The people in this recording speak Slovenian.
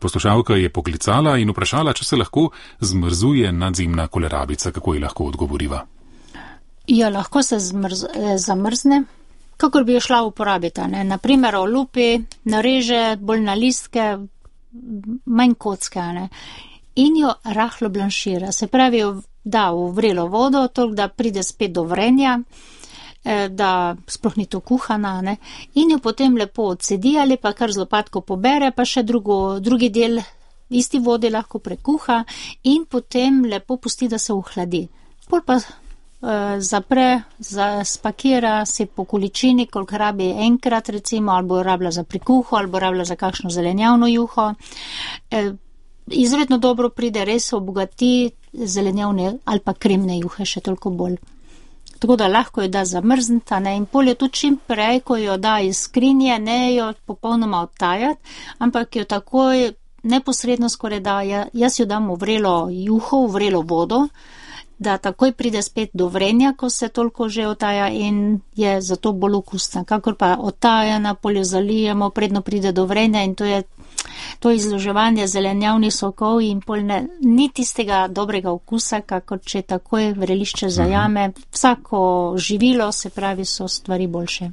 Poslušalka je poklicala in vprašala, če se lahko zmrzuje nadzemna kolerabica, kako ji lahko odgovoriva. Ja, lahko se zamrzne, kakor bi jo šla uporabiti. Naprimer, olupi, nareže bolj na listke, manj kocke, in jo rahlo blanšira. Se pravi, da v vrelo vodo, toliko da pride spet do vrenja, da sploh ni to kuhana, in jo potem lepo odsedi ali pa kar z lopatko pobere, pa še drugi del isti vodi lahko prekuha in potem lepo pusti, da se ohladi. Pol pa zapre, spakira se po količini, koliko rabi enkrat recimo, ali bo rabila za prikuho, ali bo rabila za kakšno zelenjavno juho. Izredno dobro pride, res obogati zelenjavne ali pa kremne juhe še toliko bolj. Tako da lahko jo da zamrznita, in pol jo tudi čim prej, ko jo da iz skrinje, ne jo popolnoma odtajati, ampak jo takoj neposredno skoraj da, jaz jo dam v vrelo juho, v vrelo vodo, da takoj pride spet do vrenja, ko se toliko že otaja in je zato bolj okusna. Kakor pa otajana, pol jo zalijemo, predno pride do vrenja in to izloževanje zelenjavnih sokov in pol ni tistega dobrega okusa, kakor če takoj vrelišče zajame. Vsako živilo, se pravi, so stvari boljše.